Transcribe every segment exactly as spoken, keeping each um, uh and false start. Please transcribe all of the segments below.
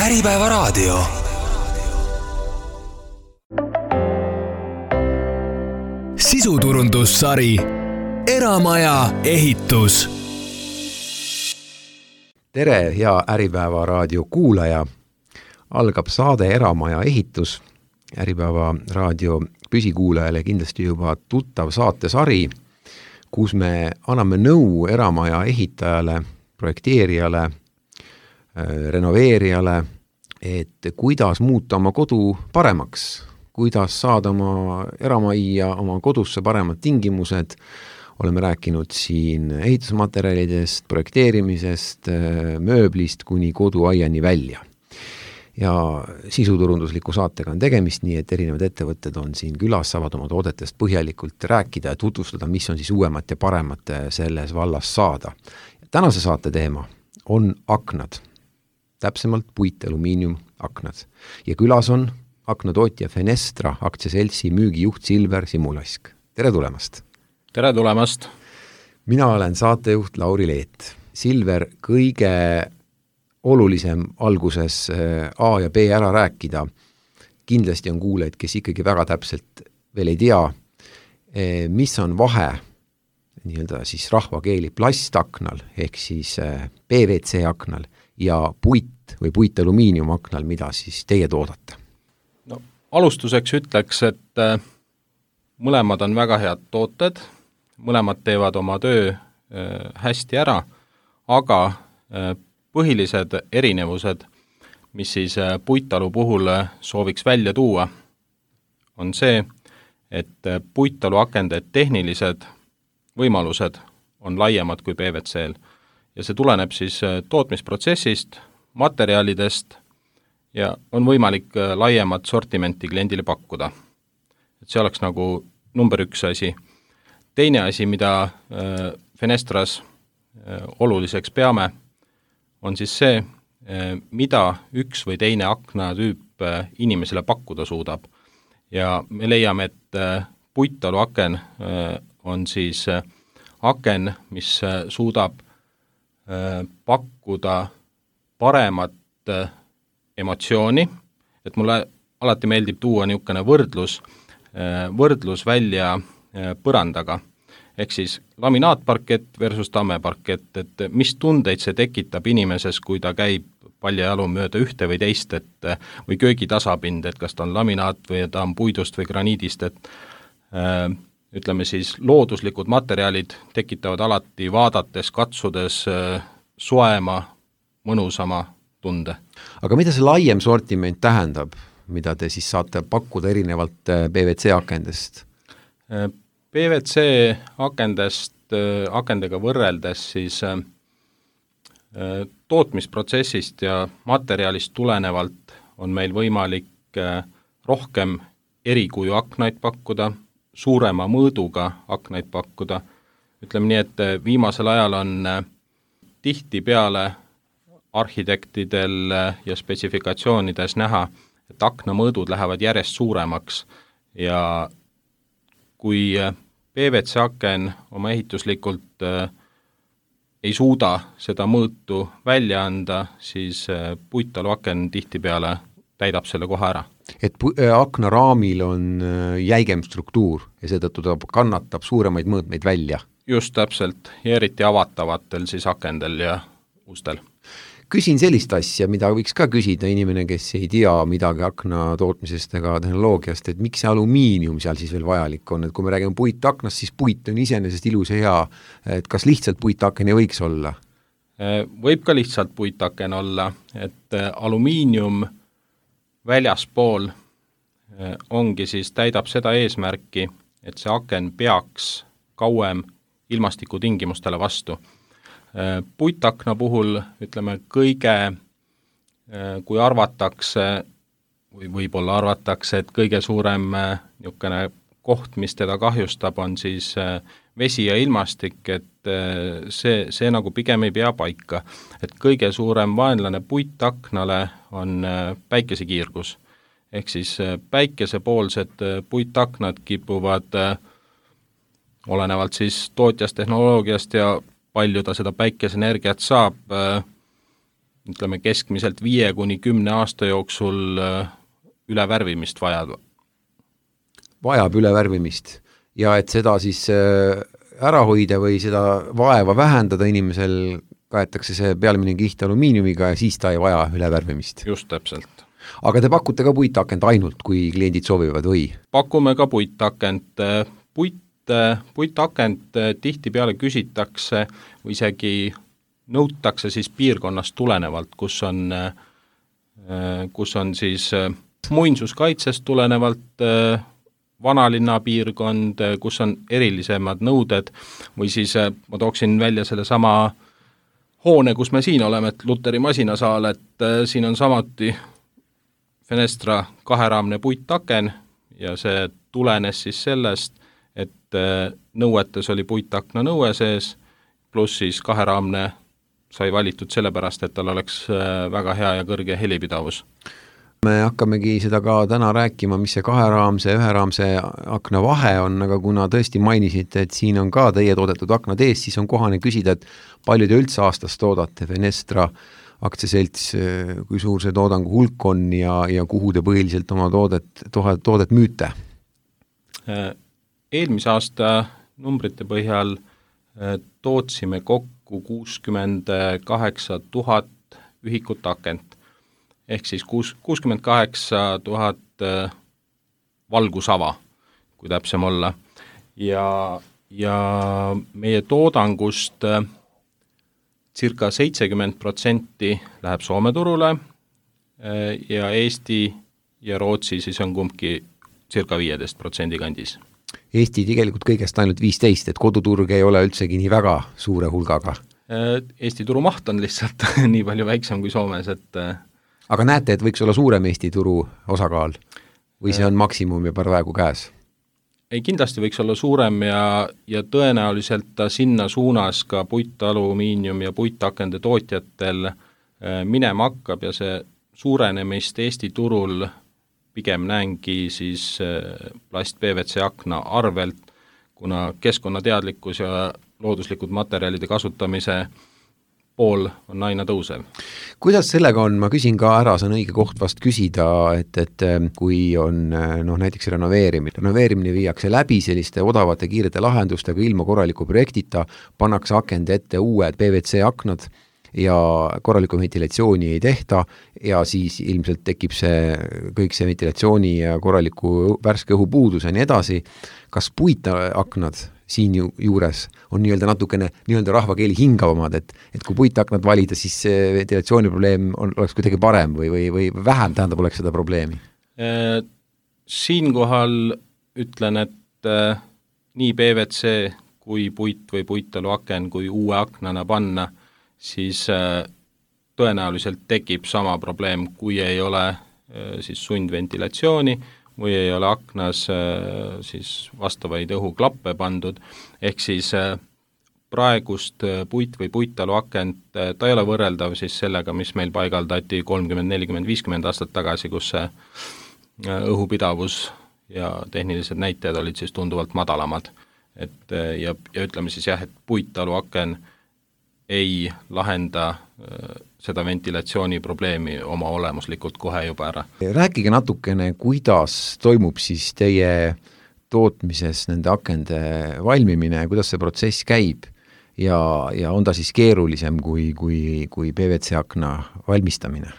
Äripäeva raadio. Sisuturundussari Eramaja ehitus. Tere, hea Äripäeva raadio kuulaja. Algab saade Eramaja ehitus. Äripäeva raadio püsikuulajale kindlasti juba tuttav saatesari, kus me anname nõu eramaja ehitajale, projekteerijale, renoveerijale, et kuidas muuta oma kodu paremaks, kuidas saada oma eramajja, oma kodusse paremad tingimused. Oleme rääkinud siin ehitusmaterjalidest, projekteerimisest, mööblist kuni koduaiani välja. Ja sisuturundusliku saatega on tegemist, nii et erinevad ettevõtted on siin külas, saavad oma toodetest põhjalikult rääkida ja tutvustada, mis on siis uuemat ja paremat selles vallas saada. Tänase saate teema on aknad, täpsemalt puit alumiinium aknad. Ja külas on aknatootja Fenestra aktsiaseltsi müügijuht Silver Simulask. Tere tulemast! Tere tulemast! Mina olen saatejuht Lauri Leet. Silver, kõige olulisem alguses A ja B ära rääkida. Kindlasti on kuulajad, kes ikkagi väga täpselt veel ei tea, mis on vahe nii-öelda siis rahvakeeli plastaknal ehk siis P V C aknal ja puit või puit alumiinium aknal, mida siis teie toodate? No, alustuseks ütleks, et mõlemad on väga head tooted, mõlemad teevad oma töö hästi ära, aga põhilised erinevused, mis siis puitalu puhul sooviks välja tuua, on see, et puitalu akende tehnilised võimalused on laiemad kui P V C-l ja see tuleneb siis tootmisprotsessist, materjalidest ja on võimalik laiemat sortimenti kliendile pakkuda. Et see oleks nagu number üks asi. Teine asi, mida Fenestras oluliseks peame, on siis see, mida üks või teine aknatüüp inimesele pakkuda suudab. Ja me leiame, et puitalu aken on siis aken, mis suudab pakkuda paremat emotsiooni, et mulle alati meeldib tuua niisugune võrdlus, võrdlus välja põrandaga. Ehk siis laminaatparkett versus tammeparkett, et mis tundeid see tekitab inimeses, kui ta käib paljajalu mööda ühte või teist, et, või köögitasapind, et kas ta on laminaat või ta on puidust või graniidist, et äh, ütleme siis looduslikud materjalid tekitavad alati vaadates, katsudes äh, soema, mõnusama tunde. Aga mida see laiem sortiment tähendab, mida te siis saate pakkuda erinevalt P V C akendest? Äh, P V C akendest, akendega võrreldes siis tootmisprotsessist ja materjalist tulenevalt on meil võimalik rohkem erikuju aknaid pakkuda, suurema mõõduga aknaid pakkuda. Ütleme nii, et viimasel ajal on tihti peale arhitektidel ja spetsifikatsioonides näha, et aknamõõdud lähevad järjest suuremaks ja kui P V C aken oma ehituslikult äh, ei suuda seda mõõtu välja anda, siis äh, puitalu aken tihtipeale täidab selle koha ära. Et pu- äh, aknaraamil on äh, jäigem struktuur ja seetõttu ta kannatab suuremaid mõõtmeid välja. Just täpselt, ja eriti avatavatel siis akendel ja ustel. Küsin sellist asja, mida võiks ka küsida inimene, kes ei tea midagi akna tootmisest ega tehnoloogiast, et miks see alumiinium seal siis veel vajalik on, et kui me räägime puitaknast, siis puit on iseenesest ilus ja hea, et kas lihtsalt puitaken ei võiks olla? Võib ka lihtsalt puitaken olla, et alumiinium väljaspool ongi siis täidab seda eesmärki, et see aken peaks kauem ilmastikutingimustele vastu. Puitakna puhul, ütleme, kõige, kui arvatakse, või võib-olla arvatakse, et kõige suurem niisugune koht, mis teda kahjustab, on siis vesi ja ilmastik, et see, see nagu pigem ei pea paika. Et kõige suurem vaenlane puitaknale on päikesekiirgus. Ehk siis päikesepoolsed puitaknad kipuvad, olenevalt siis tootjast, tehnoloogiast ja palju ta seda päikeseenergiat saab, ütleme keskmiselt viie kuni kümne aasta jooksul üle värvimist vajab. Vajab üle värvimist ja et seda siis ära hoida või seda vaeva vähendada inimesel, kaetakse see pealemine kiht alumiiniumiga ja siis ta ei vaja üle värvimist. Just täpselt. Aga te pakute ka puitakent ainult, kui kliendid soovivad või? Pakume ka puitakent. Puit, puitakent tihtipeale küsitakse või isegi nõutakse siis piirkonnast tulenevalt, kus on, kus on siis muinsuskaitsest tulenevalt vanalinna piirkond, kus on erilisemad nõuded või siis ma tooksin välja selle sama hoone, kus me siin oleme, et Luteri masinasaal, et siin on samuti Fenestra kaheraamne puittaken ja see tulenes siis sellest, et nõuetes oli puittakna nõue sees, pluss siis kaheraamne sai valitud sellepärast, et tal oleks väga hea ja kõrge helipidavus. Me hakkamegi seda ka täna rääkima, mis see kaheraamse ja üheraamse akna vahe on, aga kuna tõesti mainisite, et siin on ka teie toodetud aknad ees, siis on kohane küsida, et palju te üldse aastas toodate Fenestra aktsiaselts, kui suur see toodangu hulk on ja, ja kuhu te põhiliselt oma toodet, toodet müüte? Eelmise aasta numbrite põhjal tootsime kokku kuuskümmend kaheksa tuhat ühikut akent. Ehk siis kuuskümmend kaheksa tuhat valgusava, kui täpsem olla. Ja, ja meie toodangust circa seitsekümmend protsenti läheb Soome turule ja Eesti ja Rootsi siis on kumbki circa viieteist protsendi kandis. Eesti tegelikult kõigest ainult viisteist, et koduturg ei ole üldsegi nii väga suure hulgaga. Eesti turumaht on lihtsalt nii palju väiksem kui Soomes, et aga näete, et võiks olla suurem Eesti turu osakaal või see on maksimum ja praegu käes? Ei, kindlasti võiks olla suurem ja, ja tõenäoliselt ta sinna suunas ka puitalumiinium ja puitakende tootjatel minema hakkab ja see suurenemist Eesti turul pigem näengi siis plast P V C akna arvelt, kuna keskkonnateadlikkus ja looduslikud materjalide kasutamise pool on aina tõusev. Kuidas sellega on, ma küsin ka ära, see on õige koht vast küsida, et, et kui on noh, näiteks renoveerimine, renoveerimine viiakse läbi selliste odavate kiirete lahendustega ilma korraliku projektita, pannakse akende ette uued P V C aknad ja korralikku ventilatsiooni ei tehta ja siis ilmselt tekib see kõik see ventilatsiooni ja korraliku värske õhu puudus ja nii edasi. Kas puitaknad siin ju, juures on nii-öelda natukene nii-öelda rahvakeeli hingavamad, et, et kui puitaknad valida, siis see ventilatsiooniprobleem on, oleks kuidagi parem või, või, või vähem tähendab oleks seda probleemi? Siinkohal ütlen, et äh, nii P V C kui puit või puitaluaken kui uue aknana panna, siis äh, tõenäoliselt tekib sama probleem, kui ei ole äh, siis sundventilatsiooni või ei ole aknas äh, siis vastavaid õhuklappe pandud, ehk siis äh, praegust äh, puit või puitaluakent, äh, ta ei ole võrreldav siis sellega, mis meil paigaldati kolmkümmend, nelikümmend, viiskümmend aastat tagasi, kus see äh, õhupidavus ja tehnilised näitajad olid siis tunduvalt madalamad. Et, äh, ja, ja ütleme siis jah, et puitaluaken ei lahenda äh, seda ventilatsiooni probleemi oma olemuslikult kohe juba ära. Rääkige natukene, kuidas toimub siis teie tootmises nende akende valmimine, kuidas see protsess käib ja, ja on ta siis keerulisem kui, kui, kui P V C akna valmistamine?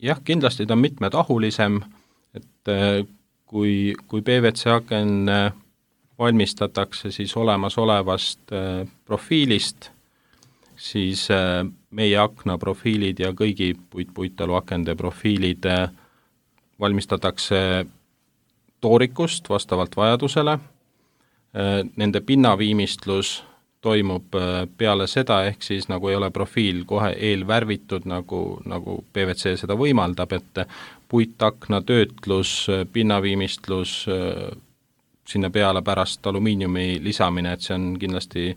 Jah, kindlasti ta on mitmetahulisem, et kui, kui P V C aken valmistatakse siis olemasolevast profiilist, siis meie akna profiilid ja kõigi puit-puitaluakende profiilid valmistatakse toorikust vastavalt vajadusele. Nende pinnaviimistlus toimub peale seda, ehk siis nagu ei ole profiil kohe eelvärvitud, nagu, nagu P V C seda võimaldab, et puitakna töötlus, pinnaviimistlus, sinna peale pärast alumiiniumi lisamine, et see on kindlasti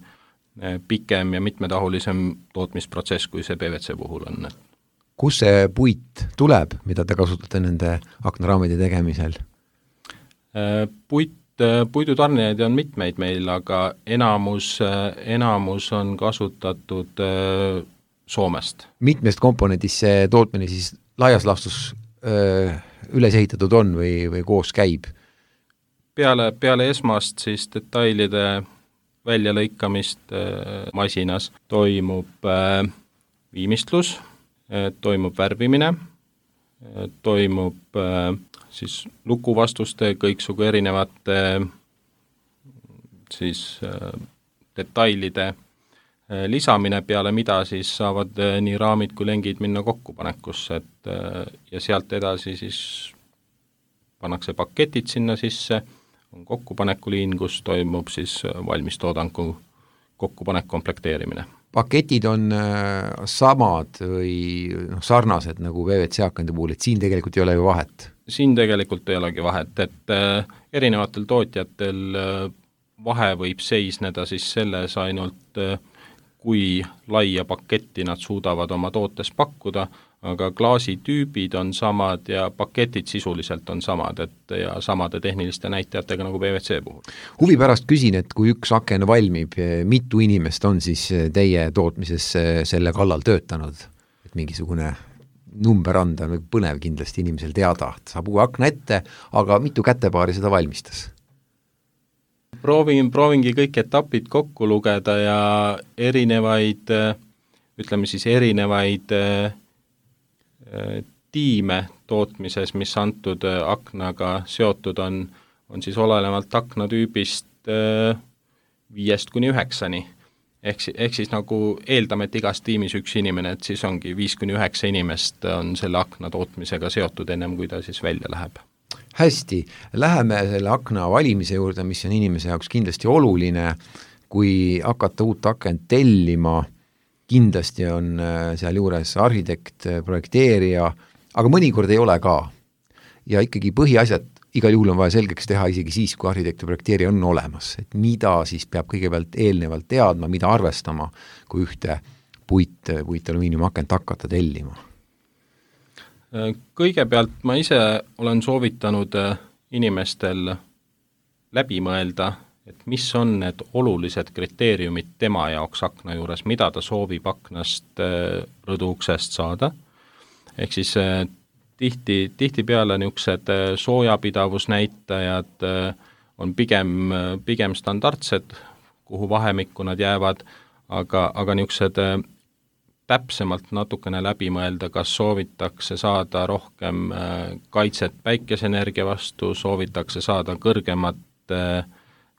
pikem ja mitmetahulisem tootmisprotsess, kui see P V C puhul on. Kus see puit tuleb, mida te kasutate nende aknaraamide tegemisel? Puit, puidutarnijaid on mitmeid meil, aga enamus, enamus on kasutatud Soomest. Mitmest komponendist see tootmine siis laias laastus öö, üles ehitatud on või, või koos käib? Peale, peale esmast siis detailide väljalõikamist äh, masinas toimub äh, viimistlus, äh, toimub värvimine, äh, toimub äh, siis lukuvastuste kõiksugu erinevate äh, siis äh, detailide äh, lisamine, peale mida siis saavad äh, nii raamid kui lengid minna kokkupanekusse, et äh, ja sealt edasi siis pannakse paketid sinna sisse, on kokkupanekuliin, kus toimub siis valmistoodangu kokkupanek komplekteerimine. Paketid on äh, samad või noh, sarnased nagu P V C akende puhul, et siin tegelikult ei ole ju vahet? Siin tegelikult ei olegi vahet, et äh, erinevatel tootjatel äh, vahe võib seisneda siis selles ainult, äh, kui laia paketti nad suudavad oma tootes pakkuda, aga klaasitüübid on samad ja paketid sisuliselt on samad, et ja samade tehniliste näitajatega nagu P V C puhul. Huvi pärast küsin, et kui üks aken valmib, mitu inimest on siis teie tootmises selle kallal töötanud? Et mingisugune number anda, põnev kindlasti inimesel teada, et saab uue akna ette, aga mitu kätepaari seda valmistas? Proovin, proovingi kõik etapid kokku lugeda ja erinevaid, ütleme siis erinevaid tiime tootmises, mis antud aknaga seotud on, on siis olenevalt aknatüübist viiest kuni üheksani. Ehk, ehk siis nagu eeldame, et igas tiimis üks inimene, et siis ongi viis kuni üheksa inimest on selle akna tootmisega seotud ennem, kui ta siis välja läheb. Hästi, läheme selle akna valimise juurde, mis on inimese jaoks kindlasti oluline, kui hakata uut akent tellima, kindlasti on seal juures arhitekt, projekteerija, aga mõnikord ei ole ka. Ja ikkagi põhiasjad igal juhul on vaja selgeks teha isegi siis, kui arhitekt ja projekteerija on olemas, et mida siis peab kõigepealt eelnevalt teadma, mida arvestama, kui ühte puit, puit alumiiniumakent hakata tellima. Kõigepealt ma ise olen soovitanud inimestel läbi mõelda, et mis on need olulised kriteeriumid tema jaoks akna juures, mida ta soovib aknast rõduuksest saada. Ehk siis tihti, tihtipeale niisugused soojapidavusnäitajad on pigem, pigem standardsed, kuhu vahemikku nad jäävad, aga, aga niisugused täpsemalt natukene läbi mõelda, kas soovitakse saada rohkem kaitset päikeseenergia vastu, soovitakse saada kõrgemat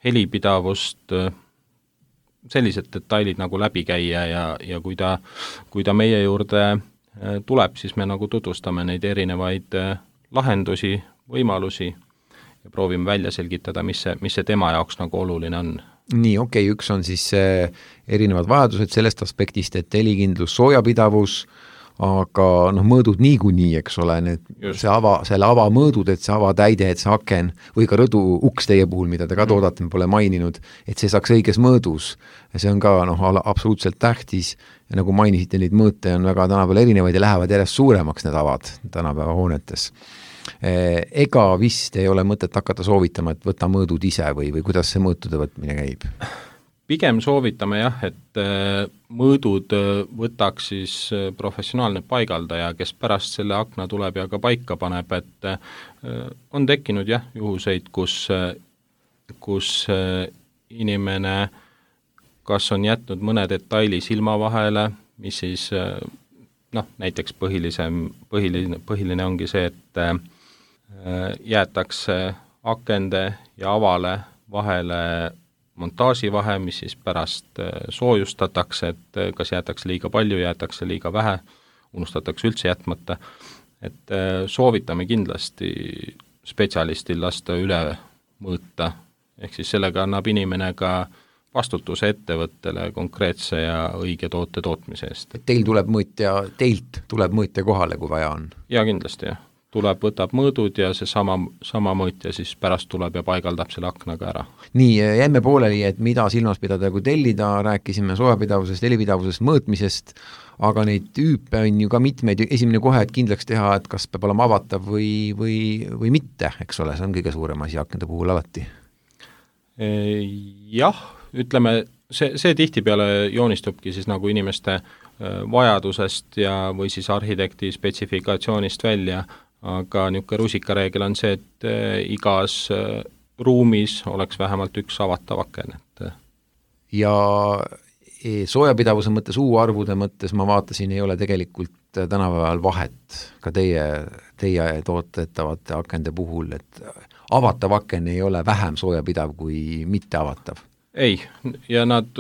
helipidavust, sellised detailid nagu läbi käia ja, ja kui ta, kui ta meie juurde tuleb, siis me nagu tutvustame neid erinevaid lahendusi, võimalusi ja proovime välja selgitada, mis see, mis see tema jaoks nagu oluline on. Nii, okei, okay, üks on siis erinevad vajadused sellest aspektist, et helikindlus, soojapidavus, aga noh, mõõdud niikuinii, eks ole, need, see ava, selle ava mõõdud, et see avatäide, et see aken või ka rõdu uks teie puhul, mida te ka toodate, me pole maininud, et see saaks õiges mõõdus. Ja see on ka noh, absoluutselt tähtis ja nagu mainisite, neid mõõte on väga tänapäeval erinevaid ja lähevad järjest suuremaks need avad tänapäeva hoonetes. Ega vist ei ole mõtet hakata soovitama, et võta mõõdud ise või, või kuidas see mõõtude võtmine käib? Pigem soovitame jah, et mõõdud võtaks siis professionaalne paigaldaja, kes pärast selle akna tuleb ja ka paika paneb, et on tekkinud jah juhuseid, kus, kus inimene kas on jätnud mõne detaili silma vahele, mis siis noh, näiteks põhilisem, põhiline, põhiline ongi see, et jäetakse akende ja avale vahele montaaživahe, mis siis pärast soojustatakse, et kas jäetakse liiga palju, jäetakse liiga vähe, unustatakse üldse jätmata. Et soovitame kindlasti spetsialistil lasta üle mõõta, ehk siis sellega annab inimene ka vastutuse ettevõttele konkreetse ja õige toote tootmise eest. Teil tuleb mõõtja, teilt tuleb mõõtja kohale, kui vaja on? Ja kindlasti, jah. Tuleb, võtab mõõdud ja see sama, sama mõõtja siis pärast tuleb ja paigaldab selle aknaga ära. Nii, jäime pooleli, et mida silmas pidada, kui tellida, rääkisime soojapidavusest, helipidavusest, mõõtmisest, aga neid tüüpe on ju ka mitmeid, esimene kohe, et kindlaks teha, et kas peab olema avatav või, või, või mitte, eks ole, see on kõige suurem asi akende puhul alati. Jah, ütleme, see, see tihtipeale joonistubki siis nagu inimeste vajadusest ja või siis arhitekti spetsifikatsioonist välja, aga niisugune rusikareegel on see, et igas ruumis oleks vähemalt üks avatav aken. Et ja soojapidavuse mõttes, U-arvude mõttes ma vaatasin, ei ole tegelikult tänapäeval vahet ka teie, teie tootetavate akende puhul, et avatav aken ei ole vähem soojapidav kui mitte avatav. Ei, ja nad,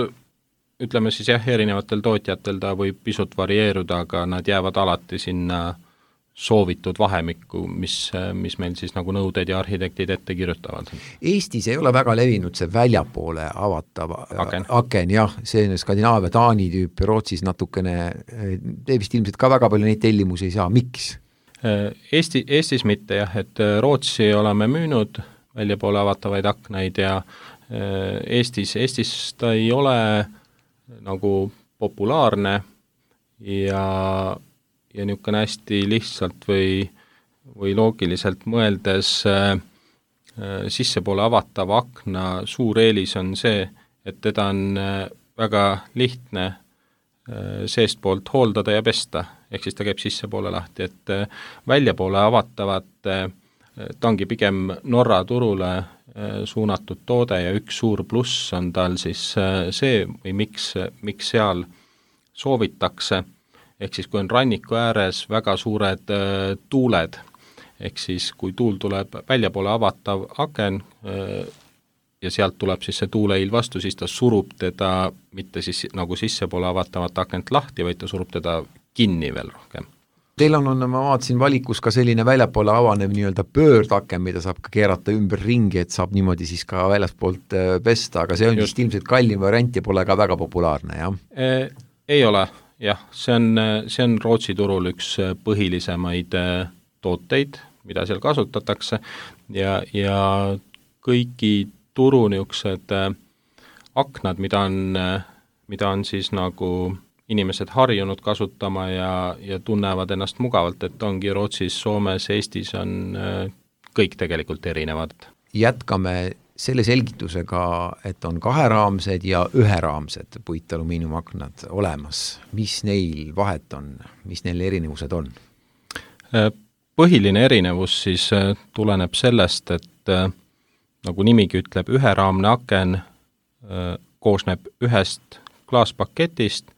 ütleme siis jah, erinevatel tootjatel ta võib pisut varieeruda, aga nad jäävad alati sinna soovitud vahemikku, mis, mis meil siis nagu nõuded ja arhitektid ette kirjutavad. Eestis ei ole väga levinud see väljapoole avatav aken, aken jah, see Skandinaavia, Taani tüüp, Rootsis natukene, te vist ilmselt ka väga palju neid tellimusi ei saa, miks? Eesti, Eestis mitte jah, et Rootsi oleme müünud väljapoole avatavaid aknaid ja Eestis, Eestis ta ei ole nagu populaarne ja ja niisugune hästi lihtsalt või, või loogiliselt mõeldes äh, sissepoole avatava akna suur eelis on see, et teda on äh, väga lihtne äh, seestpoolt hooldada ja pesta, ehk siis ta käib sissepoole lahti, et äh, väljapoole avatavat äh, ta ongi pigem Norra turule äh, suunatud toode ja üks suur pluss on tal siis äh, see või miks, miks seal soovitakse, ehk siis kui on ranniku ääres väga suured äh, tuuled, ehk siis kui tuul tuleb väljapoole avatav aken äh, ja sealt tuleb siis see tuuleiil vastu, siis ta surub teda mitte siis nagu sissepoole avatavat akent lahti, vaid ta surub teda kinni veel rohkem. Teil on, on, ma vaatasin valikus ka selline väljapoole avanev nii-öelda pöördaken, mida saab ka keerata ümber ringi, et saab niimoodi siis ka väljaspoolt äh, pesta, aga see on just ilmselt kallim variant ja pole ka väga populaarne, jah e,? Ei ole. Jah, see on, see on Rootsi turul üks põhilisemaid tooteid, mida seal kasutatakse ja, ja kõigi turu niisugused aknad, mida on, mida on siis nagu inimesed harjunud kasutama ja, ja tunnevad ennast mugavalt, et ongi Rootsis, Soomes, Eestis on kõik tegelikult erinevad. Jätkame selle selgitusega, et on kaheraamsed ja üheraamsed puitalumiiniumaknad olemas. Mis neil vahet on? Mis neil erinevused on? Põhiline erinevus siis tuleneb sellest, et nagu nimigi ütleb, üheraamne aken koosneb ühest klaaspaketist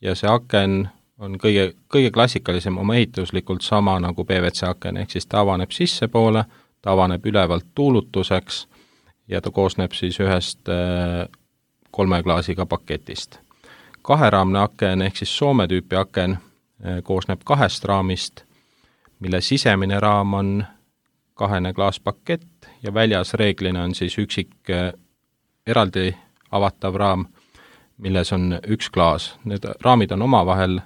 ja see aken on kõige, kõige klassikalisem oma ehituslikult sama nagu P V C aken, ehk siis ta avaneb sissepoole, ta avaneb ülevalt tuulutuseks ja ta koosneb siis ühest kolme klaasiga paketist. Kaheraamne aken ehk siis Soome tüüpi aken koosneb kahest raamist, mille sisemine raam on kahene klaaspakett ja väljas reeglina on siis üksik eraldi avatav raam, milles on üks klaas. Need raamid on omavahel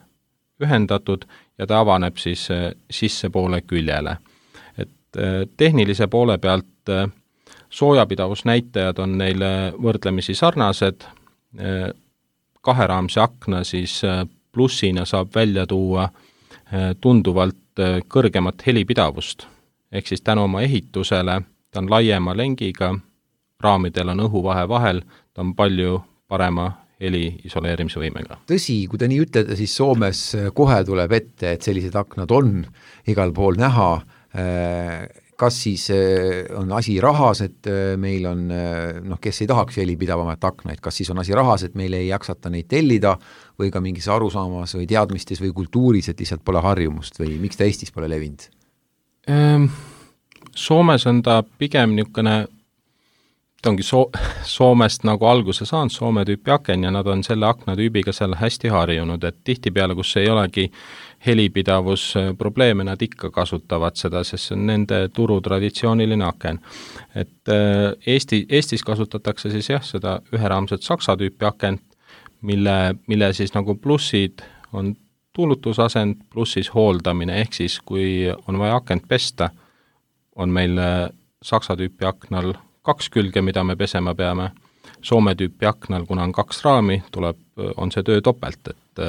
ühendatud ja ta avaneb siis sissepoole küljele. Et tehnilise poole pealt soojapidavusnäitajad on neile võrdlemisi sarnased, kaheraamse akna siis plussina saab välja tuua tunduvalt kõrgemat helipidavust, ehk siis tänu oma ehitusele, ta on laiema lengiga, raamidel on õhuvahe vahel, ta on palju parema heli isoleerimise võimega. Tõsi, kui te nii ütlete, siis Soomes kohe tuleb ette, et sellised aknad on igal pool näha. Kas siis on asi rahas, et meil on, noh, kes ei tahaks helipidavamat aknaid, kas siis on asi rahas, et meil ei jaksata neid tellida või ka mingis arusaamas või teadmistes või kultuuris, et lihtsalt pole harjumust või miks ta Eestis pole levinud? Soomes on ta pigem niisugune, ta ongi so- Soomest nagu alguse saanud, Soome tüüpi aken ja nad on selle aknatüübiga seal hästi harjunud, et tihtipeale, kus ei olegi helipidavus probleeme, nad ikka kasutavad seda, sest see on nende turu traditsiooniline aken. Et Eesti, Eestis kasutatakse siis jah, seda üheraamset saksa tüüpi akent, mille, mille siis nagu plussid on tuulutusasend pluss siis hooldamine, ehk siis kui on vaja akent pesta, on meil saksa tüüpi aknal kaks külge, mida me pesema peame. Soome tüüpi aknal, kuna on kaks raami, tuleb, on see töö topelt, et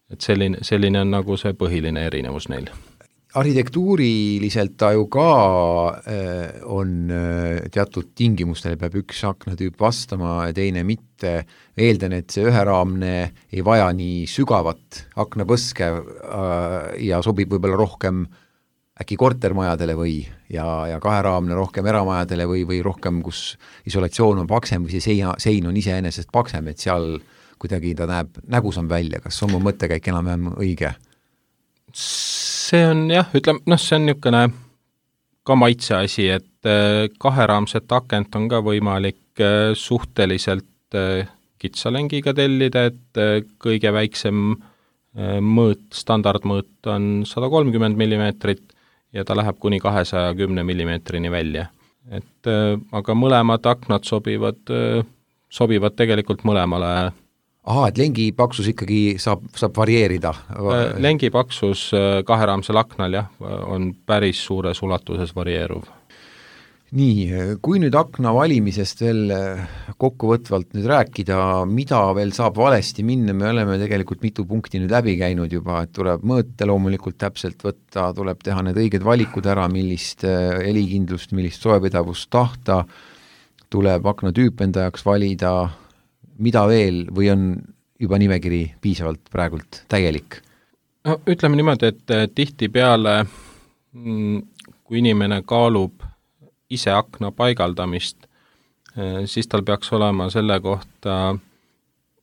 et selline, selline on nagu see põhiline erinevus neil. arhitektuuriliselt ta ju ka on teatud tingimustele, peab üks aknatüüp vastama ja teine mitte. Eeldan, et see üheraamne ei vaja nii sügavat aknapõske ja sobib võib-olla rohkem äkki kortermajadele või ja, ja kaheraamne rohkem eramajadele või, või rohkem, kus isolatsioon on paksem või see seina, sein on iseenesest paksem, et seal kuidagi ta näeb nägusam välja. Kas on mu mõttekäik enam-vähem õige? See on jah, ütleme, noh, see on niisugune ka maitse asi, et kaheraamset akent on ka võimalik suhteliselt kitsalengiga tellida, et kõige väiksem mõõt, standardmõõt on sada kolmkümmend millimeetrit ja ta läheb kuni kahesaja kümne millimeetrini välja. Et aga mõlemad aknad sobivad, sobivad tegelikult mõlemale. Aha, et lengi paksus ikkagi saab, saab varieerida? Lengi paksus kaheraamsel aknal jah, on päris suures ulatuses varieeruv. Nii, kui nüüd akna valimisest veel kokkuvõtvalt nüüd rääkida, mida veel saab valesti minna, me oleme tegelikult mitu punkti nüüd läbi käinud juba, et tuleb mõõte loomulikult täpselt võtta, tuleb teha need õiged valikud ära, millist helikindlust, millist soepidavust tahta, tuleb akna tüüp enda jaoks valida, mida veel või on juba nimekiri piisavalt praegult täielik? No, ütleme niimoodi, et tihti peale, kui inimene kaalub ise akna paigaldamist, siis tal peaks olema selle kohta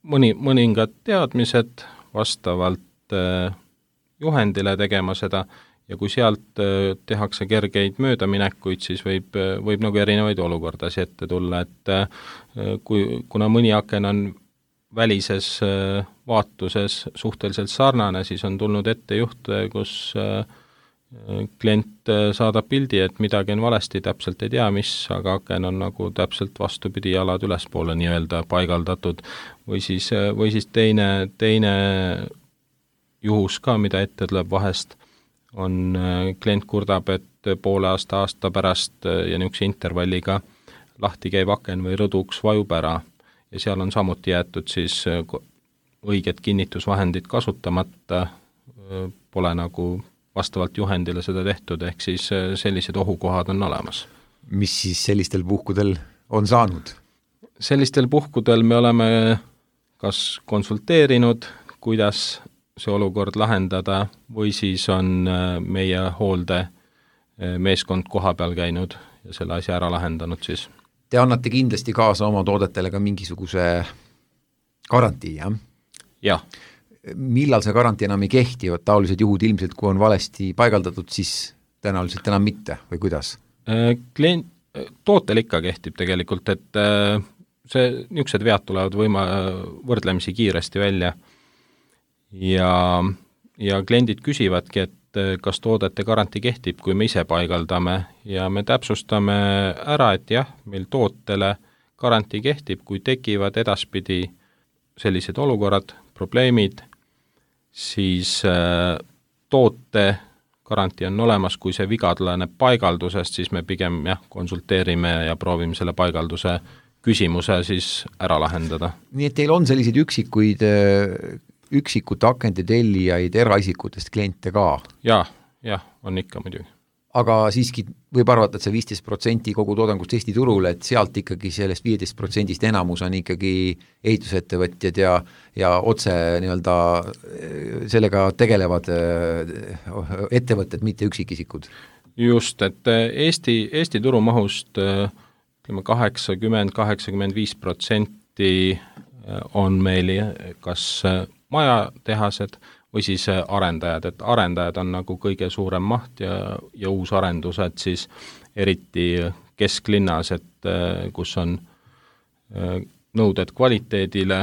mõni, mõningad teadmised vastavalt juhendile tegema seda ja kui sealt tehakse kergeid möödaminekuid, siis võib, võib nagu erinevaid olukordasid ette tulla, et kui, kuna mõni aken on välises vaatuses suhteliselt sarnane, siis on tulnud ette juhte, kus klient saadab pildi, et midagi on valesti, täpselt ei tea, mis, aga aken on nagu täpselt vastupidi jalad ülespoole nii-öelda paigaldatud või siis, või siis teine, teine juhus ka, mida ette tuleb vahest, on klient kurdab, et poole aasta, aasta pärast ja niisuguse intervalliga lahti käib aken või rõduks vajub ära ja seal on samuti jäetud siis õiged kinnitusvahendid kasutamata, pole nagu vastavalt juhendile seda tehtud, ehk siis sellised ohukohad on olemas. Mis siis sellistel puhkudel on saanud? Sellistel puhkudel me oleme kas konsulteerinud, kuidas see olukord lahendada või siis on meie hoolde meeskond koha peal käinud ja selle asja ära lahendanud siis. Te annate kindlasti kaasa oma toodetele ka mingisuguse garantii, jah? Jah. Millal see garantii enam ei kehti, taolised juhud ilmselt, kui on valesti paigaldatud, siis tõenäoliselt enam mitte või kuidas? Klient, tootel ikka kehtib tegelikult, et see, niisugused vead tulevad võima, võrdlemisi kiiresti välja ja, ja kliendid küsivadki, et kas toodete garantii kehtib, kui me ise paigaldame ja me täpsustame ära, et jah, meil tootele garantii kehtib, kui tekivad edaspidi sellised olukorrad, probleemid, siis äh, toote garantii on olemas, kui see viga tuleneb paigaldusest, siis me pigem jah, konsulteerime ja proovime selle paigalduse küsimuse siis ära lahendada. Nii et teil on selliseid üksikuid, üksikute akende tellijaid eraisikutest kliente ka? Jah, jah, on ikka muidugi. Aga siiski võib arvata, et see viisteist protsenti kogu toodangust Eesti turul, et sealt ikkagi sellest viieteist protsendist enamus on ikkagi ehitusettevõtjad ja, ja otse nii-öelda sellega tegelevad ettevõtted, mitte üksikisikud. Just, et Eesti, Eesti turumahust kaheksakümmend kuni kaheksakümmend viis protsenti on meil kas majatehased või siis arendajad, et arendajad on nagu kõige suurem maht ja, ja uusarendused siis eriti kesklinnas, et kus on nõuded kvaliteedile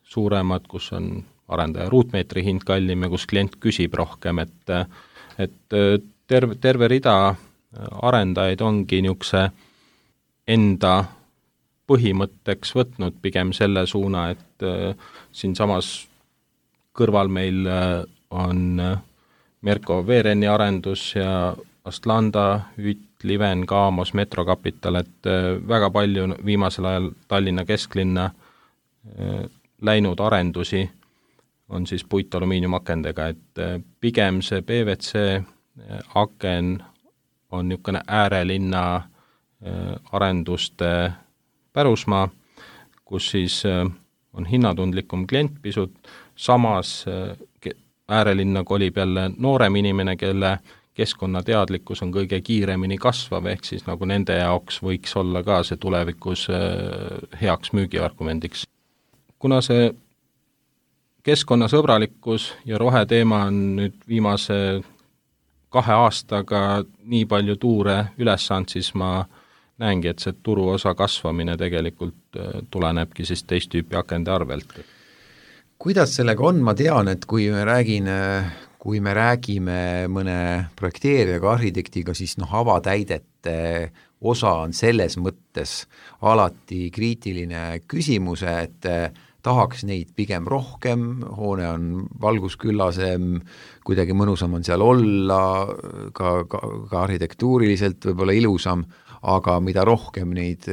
suuremad, kus on arendaja ruutmeetri hind kallim ja kus klient küsib rohkem, et, et terve, terve rida arendajaid ongi niisuguse enda põhimõtteks võtnud pigem selle suuna, et siin samas kõrval meil on Merko Veereni arendus ja Astlanda, Üt, Liven, Kaamos, Metrokapital, et väga palju viimasel ajal Tallinna kesklinna läinud arendusi on siis puitalumiiniumakendega, et pigem see P V C aken on niisugune äärelinna arenduste pärusmaa, kus siis on hinnatundlikum klient pisut, samas äärelinna kolib jälle noorem inimene, kelle keskkonnateadlikkus on kõige kiiremini kasvav, ehk siis nagu nende jaoks võiks olla ka see tulevikus heaks müügiargumendiks. Kuna see keskkonnasõbralikkus ja roheteema on nüüd viimase kahe aastaga nii palju tuure üles saanud, siis ma näengi, et see turuosa kasvamine tegelikult tulenebki siis teist tüüpi akende arvelt. Kuidas sellega on? Ma tean, et kui me räägin kui me räägime mõne projekteerijaga, arhitektiga, siis noh, avatäidete osa on selles mõttes alati kriitiline küsimus, et tahaks neid pigem rohkem, hoone on valgusküllasem, kuidagi mõnusam on seal olla, ka, ka, ka arhitektuuriliselt võib-olla ilusam, aga mida rohkem neid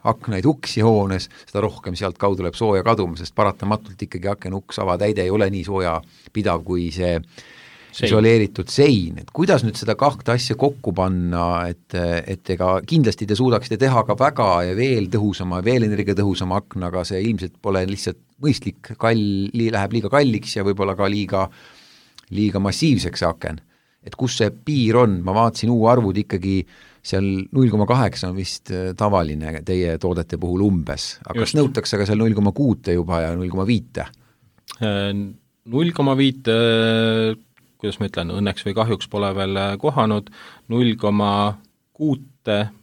aknaid uksi hoones, seda rohkem sealt kaudu läheb sooja kaduma, sest paratamatult ikkagi aken uks avatäide ei ole nii sooja pidav kui see sein. Isoleeritud sein, et kuidas nüüd seda kahte asja kokku panna, et, et ega kindlasti te suudaksite teha ka väga ja veel tõhusama, veel energiatõhusama akna, aga see ilmselt pole lihtsalt mõistlik, kalli, läheb liiga kalliks ja võib-olla ka liiga, liiga massiivseks aken. Et kus see piir on, ma vaatasin uu arvud ikkagi seal null koma kaheksa on vist tavaline teie toodete puhul umbes, aga kas nõutakse ka seal null koma kuus juba ja null koma viis? null koma viis, kuidas ma ütlen, õnneks või kahjuks pole veel kohanud, null koma kuus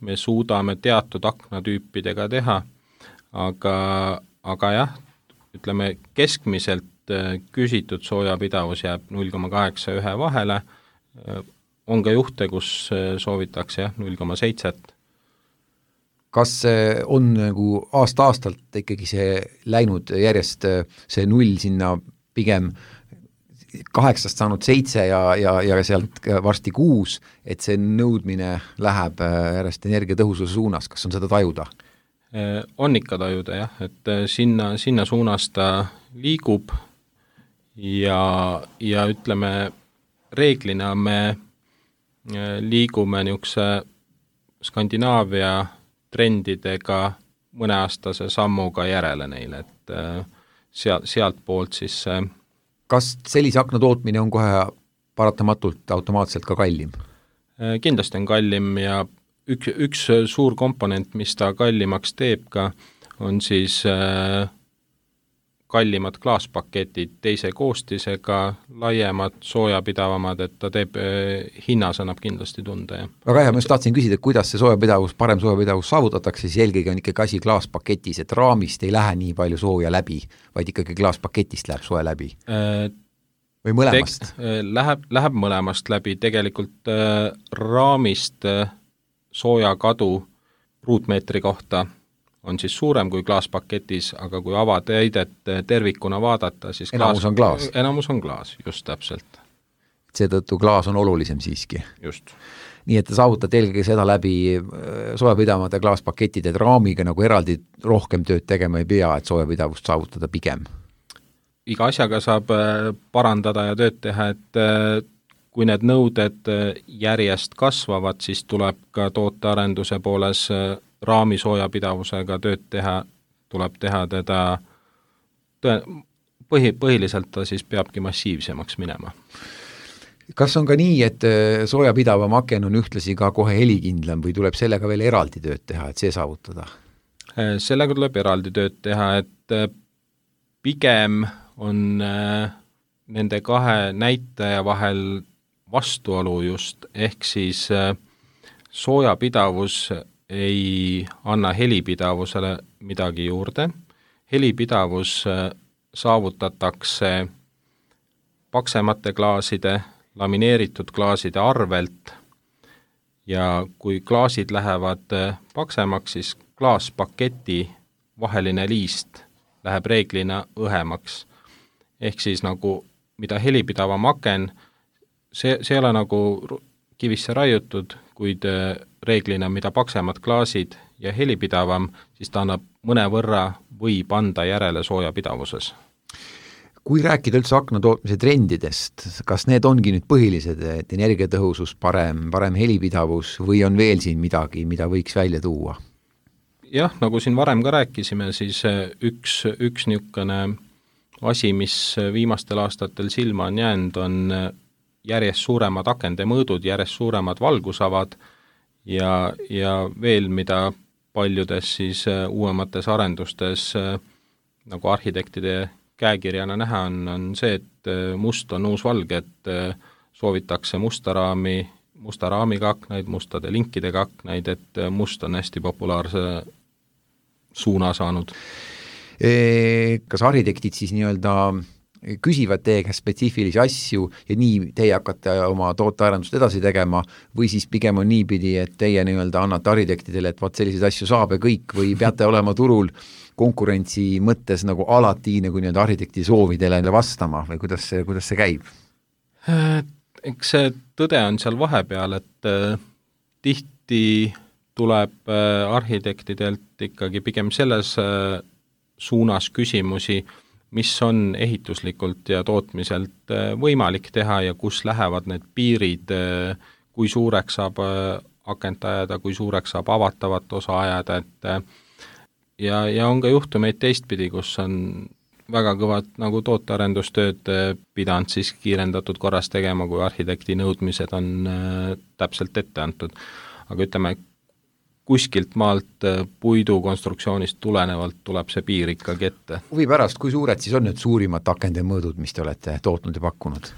me suudame teatud aknatüüpidega teha, aga, aga jah, ütleme keskmiselt küsitud soojapidavus jääb null koma kaheksa ühe vahele, on ka juhte, kus soovitakse jah, null koma seitse. Kas on nagu aasta-aastalt ikkagi see läinud järjest see null sinna pigem kaheksast saanud seitse ja, ja, ja sealt varsti kuus, et see nõudmine läheb järjest energiatõhususe suunas, kas on seda tajuda? On ikka tajuda jah, et sinna, sinna suunas ta liigub ja, ja ütleme, reeglina me liigume niisuguse Skandinaavia trendidega mõneaastase sammuga järele neile, et sealt, sealt poolt siis kas sellise akna tootmine on kohe paratamatult automaatselt ka kallim? Kindlasti on kallim ja üks, üks suur komponent, mis ta kallimaks teeb ka, on siis kallimad klaaspaketid teise koostisega, laiemad, soojapidavamad, et ta teeb, hinnas annab kindlasti tunde. Ja. Väga hea, ma just tahtsin küsida, et kuidas see soojapidavus, parem soojapidavus saavutatakse, siis eelkõige on ikkagi asi klaaspaketis, et raamist ei lähe nii palju sooja läbi, vaid ikkagi klaaspaketist läheb sooja läbi. Või mõlemast? Tek, läheb, läheb mõlemast läbi, tegelikult äh, raamist äh, sooja kadu ruutmeetri kohta on siis suurem kui klaaspaketis, aga kui avatäidet tervikuna vaadata, siis enamus klaas, on klaas. Enamus on klaas, just täpselt. Seetõttu klaas on olulisem siiski. Just. Nii et te saavutate eelkõige seda läbi soojapidavamate klaaspaketid, et raamiga nagu eraldi rohkem tööd tegema ei pea, et soojapidavust saavutada pigem. Iga asjaga saab parandada ja tööd teha, et kui need nõuded järjest kasvavad, siis tuleb ka tootearenduse pooles raami soojapidavusega tööd teha, tuleb teha teda, põhi, põhiliselt ta siis peabki massiivsemaks minema. Kas on ka nii, et soojapidavam aken on ühtlasi ka kohe helikindlam või tuleb sellega veel eraldi tööd teha, et see saavutada? Sellega tuleb eraldi tööd teha, et pigem on nende kahe näitaja vahel vastuolu just, ehk siis soojapidavus ei anna helipidavusele midagi juurde. Helipidavus saavutatakse paksemate klaaside, lamineeritud klaaside arvelt ja kui klaasid lähevad paksemaks, siis klaaspaketi vaheline liist läheb reeglina õhemaks. Ehk siis nagu mida helipidavam aken, see, see ei ole nagu kivisse raiutud, kuid reeglina mida paksemad klaasid ja helipidavam, siis ta annab mõne võrra võib anda järele soojapidavuses. kui rääkida üldse akna tootmise trendidest, kas need ongi nüüd põhilised, et energiatõhusus parem, parem helipidavus või on veel siin midagi, mida võiks välja tuua? Jah, nagu siin varem ka rääkisime, siis üks, üks niisugune asi, mis viimastel aastatel silma on jäänud, on järjest suuremad akende mõõdud, järjest suuremad valgusavad ja, ja veel, mida paljudes siis uuemates arendustes nagu arhitektide käekirjana näha on, on see, et must on uus valge, et soovitakse musta raami, musta raamiga aknaid, mustade linkidega aknaid, et must on hästi populaarse suuna saanud. Kas arhitektid siis nii-öelda küsivad teie käest spetsiifilisi asju ja nii teie hakkate oma tootearendust edasi tegema või siis pigem on niipidi, et teie nii-öelda annate arhitektidele, et vaat selliseid asju saab ja kõik või peate olema turul konkurentsi mõttes nagu alati nagu nii-öelda arhitekti soovidele vastama või kuidas see, kuidas see käib? Eks see tõde on seal vahepeal, et äh, tihti tuleb äh, arhitektidelt ikkagi pigem selles äh, suunas küsimusi, mis on ehituslikult ja tootmiselt äh, võimalik teha ja kus lähevad need piirid, äh, kui suureks saab äh, akent ajada, kui suureks saab avatavat osa ajada, et äh, ja, ja on ka juhtumeid teistpidi, kus on väga kõvad nagu tootearendustööd pidanud siis kiirendatud korras tegema, kui arhitekti nõudmised on äh, täpselt ette antud. Aga ütleme, kuskilt maalt puidu konstruktsioonist tulenevalt tuleb see piir ikkagi ette. Huvi pärast, kui suured siis on need suurimad akende mõõdud, mis te olete tootnud ja pakkunud?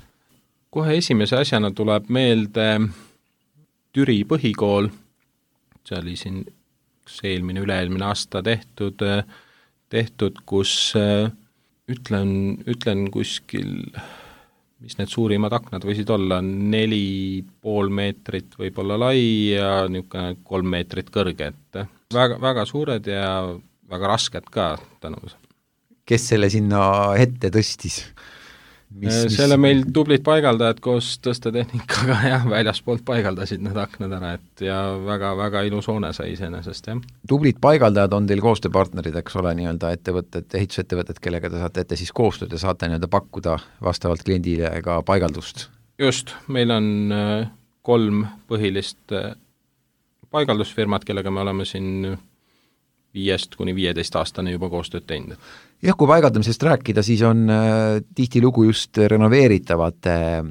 Kohe esimese asjana tuleb meelde Türi põhikool, see oli siin eelmine, üle-eelmine aasta tehtud, tehtud, kus ütlen, ütlen kuskil, mis need suurimad aknad võisid olla, neli pool meetrit võib-olla lai ja niisugune kolm meetrit kõrge, et väga, väga suured ja väga rasked ka tänu. Kes selle sinna ette tõstis? Mis, selle mis... meil tublid paigaldajad koos tõstetehnikaga ja väljaspoolt paigaldasid need aknad ära, et ja väga, väga ilus hoone sai iseenesest, jah. Tublid paigaldajad on teil koostööpartnerid, eks ole, nii-öelda ettevõtted, ehitusettevõtted, kellega te saate ette siis koostööd ja saate nii-öelda pakkuda vastavalt kliendile ka paigaldust? Just, meil on kolm põhilist paigaldusfirmat, kellega me oleme siin viiest kuni viieteist aastane juba koostööd teinud. Jah, kui paigaldamisest rääkida, siis on äh, tihti lugu just renoveeritavate äh,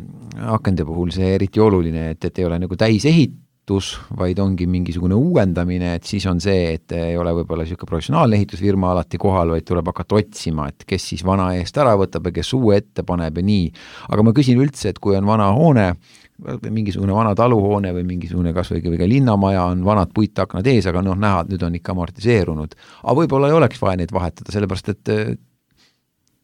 akende puhul see eriti oluline, et, et ei ole nagu täisehitus, vaid ongi mingisugune uuendamine, et siis on see, et ei ole võib-olla niisugune professionaalne ehitusfirma alati kohal, vaid tuleb hakata otsima, et kes siis vana eest ära võtab ja kes uue ette paneb ja nii. Aga ma küsin üldse, et kui on vana hoone, mingisugune vana taluhoone või mingisugune kas või ka linnamaja on vanad puitaknad ees, aga noh, näha, et nüüd on ikka amortiseerunud. Aga võib-olla ei oleks vaja neid vahetada, sellepärast et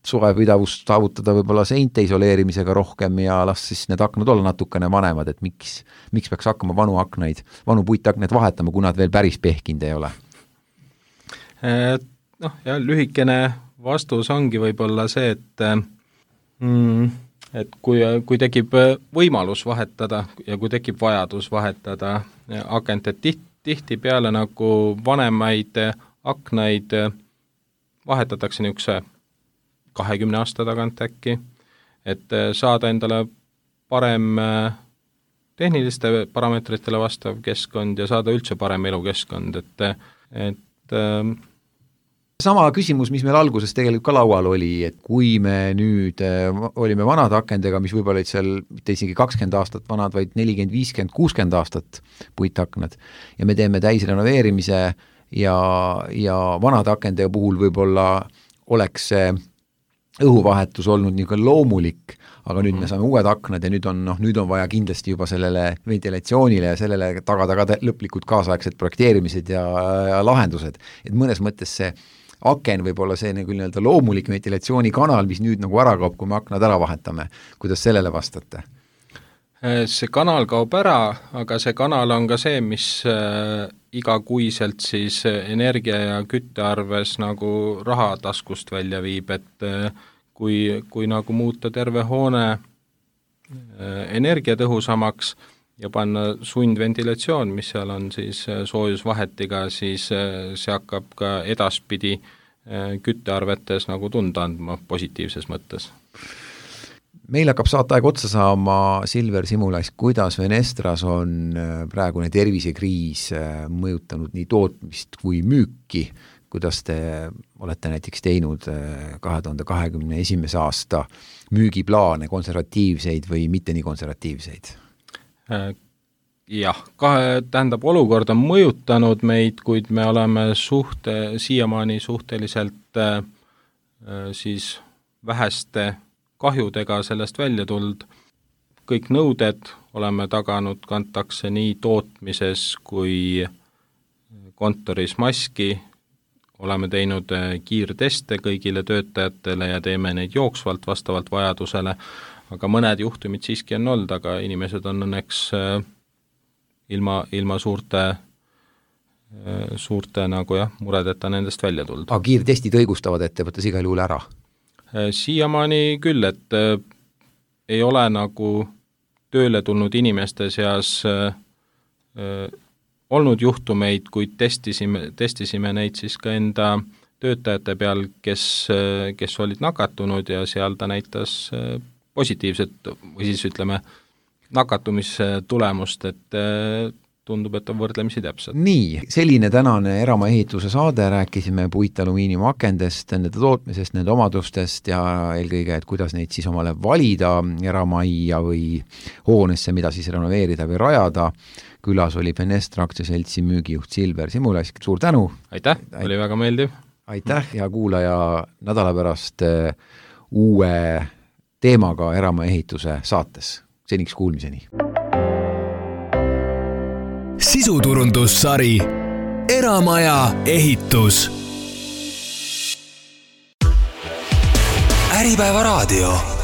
suvepidavust saavutada võib-olla seinte isoleerimisega rohkem ja las siis need aknad olla natukene vanemad, et miks, miks peaks hakkama vanu aknaid, vanu puitaknaid vahetama, kui nad veel päris pehkinud ei ole? Noh, ja lühikene vastus ongi võib-olla see, et mm, et kui, kui tekib võimalus vahetada ja kui tekib vajadus vahetada akent, et tiht, tihti peale nagu vanemaid aknaid vahetatakse niisuguse kahekümne aasta tagant äkki, et saada endale parem tehniliste parameetritele vastav keskkond ja saada üldse parem elukeskkond, et, et sama küsimus, mis meil alguses tegelikult ka laual oli, et kui me nüüd olime vanad akendega, mis võib-olla olid seal mitte isegi kakskümmend aastat vanad, vaid nelikümmend, viiskümmend, kuuskümmend aastat puitaknad ja me teeme täisrenoveerimise ja, ja vanade akende puhul võib-olla oleks see õhuvahetus olnud niisugune loomulik, aga nüüd me saame uued aknad ja nüüd on, noh, nüüd on vaja kindlasti juba sellele ventilatsioonile ja sellele tagada ka lõplikud kaasaegsed projekteerimised ja, ja lahendused. Et mõnes mõttes see aken võib olla see nagu nii-öelda loomulik ventilatsioonikanal, mis nüüd nagu ära kaob, kui me aknad ära vahetame. Kuidas sellele vastate? See kanal kaob ära, aga see kanal on ka see, mis äh, igakuiselt siis energia ja küttearves nagu raha taskust välja viib, et äh, kui, kui nagu muuta terve hoone äh, energiatõhusamaks ja panna sundventilatsioon, mis seal on siis soojusvahetiga, siis see hakkab ka edaspidi küttearvetes nagu tunda andma positiivses mõttes. Meil hakkab saateaeg otsa saama, Silver Simulais, kuidas Venestras on praegune tervisekriis mõjutanud nii tootmist kui müüki, kuidas te olete näiteks teinud kahe tuhande kahekümne esimese aasta müügiplaane, konservatiivseid või mitte nii konservatiivseid? Jah, kahe, tähendab, olukord on mõjutanud meid, kuid me oleme suhte, siiamaani suhteliselt äh, siis väheste kahjudega sellest välja tuld. Kõik nõuded oleme taganud, kantakse nii tootmises kui kontoris maski, oleme teinud kiirteste kõigile töötajatele ja teeme neid jooksvalt vastavalt vajadusele, aga mõned juhtumid siiski on olnud, aga inimesed on õnneks äh, ilma, ilma suurte, suurte nagu jah, muredeta nendest välja tulnud. Aga kiirtestid õigustavad ettevõttes igal juhul ära? Siiamaani küll, et äh, ei ole nagu tööle tulnud inimeste seas äh, olnud juhtumeid, kuid testisime, testisime neid siis ka enda töötajate peal, kes, kes olid nakatunud ja seal ta näitas äh, positiivset või siis ütleme, nakatumistulemust, et tundub, et on võrdlemisi täpselt. Nii, selline tänane Eramaa ehituse saade, rääkisime puitalumiiniumakendest, nende tootmisest, nende omadustest ja eelkõige, et kuidas neid siis omale valida eramajja või hoonesse, mida siis renoveerida või rajada. Külas oli Fenestra aktsiaseltsi müügijuht Silver Simulais, suur tänu! Aitäh, oli väga meeldiv! Aitäh ja kuulaja nädala pärast uue teemaga Eramaa ehituse saates. Seniks kuulmiseni. Sisuturundussari Eramaja ehitus. Äripäeva raadio.